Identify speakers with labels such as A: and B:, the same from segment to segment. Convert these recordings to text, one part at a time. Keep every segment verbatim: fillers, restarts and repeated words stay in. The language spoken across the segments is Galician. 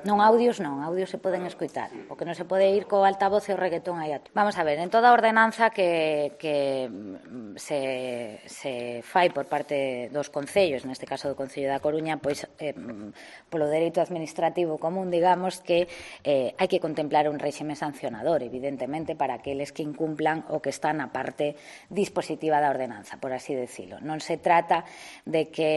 A: Non audios non, audios se poden escoitar. O que non se pode ir co altavoz e o reggaetón aí a... Vamos a ver, en toda a ordenanza que, que se, se fai por parte dos concellos, neste caso do Concello da Coruña, pois eh, polo dereito administrativo común, digamos que eh, hai que contemplar un réxime sancionador, evidentemente, para aqueles que incumplan o que está na parte dispositiva da ordenanza, por así decirlo. Non se trata de que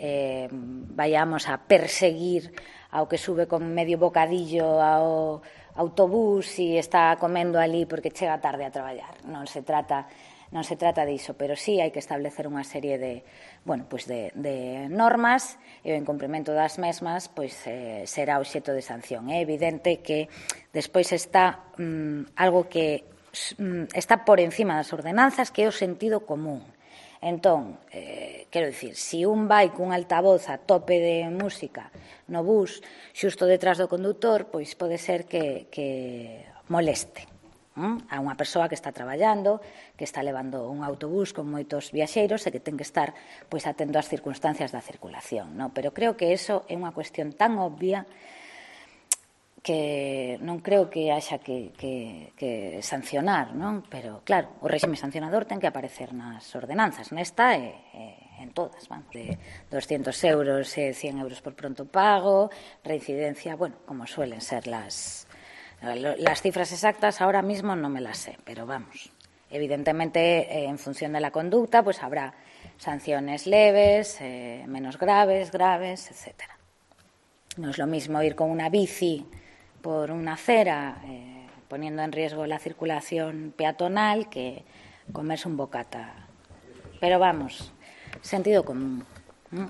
A: eh, vayamos a perseguir ao que sube con medio bocadillo ao autobús e está comendo ali porque chega tarde a traballar. Non se trata non se trata diso, pero sí hai que establecer unha serie de, bueno, pues de, de normas e o incumprimento das mesmas pois eh, será obxecto de sanción. É evidente que despois está mm, algo que mm, está por encima das ordenanzas, que é o sentido común. Entón, eh, quero dicir, se un vai cun altavoz a tope de música no bus xusto detrás do condutor, pois pode ser que, que moleste hm? a unha persoa que está traballando, que está levando un autobús con moitos viaxeiros e que ten que estar pois atento ás circunstancias da circulación, no? Pero creo que eso é unha cuestión tan obvia que non creo que haxa que, que, que sancionar, non? Pero, claro, o réxime sancionador ten que aparecer nas ordenanzas, nesta e, e en todas, vamos, de doscientos euros e cien euros por pronto pago, reincidencia, bueno, como suelen ser las, las cifras exactas, ahora mismo no me las sé, pero vamos, evidentemente, eh, en función de la conducta, pues habrá sanciones leves, eh, menos graves, graves, etcétera. No es lo mismo ir con una bici por una acera, eh, poniendo en riesgo la circulación peatonal, que comerse un bocata. Pero vamos, sentido común. ¿Mm?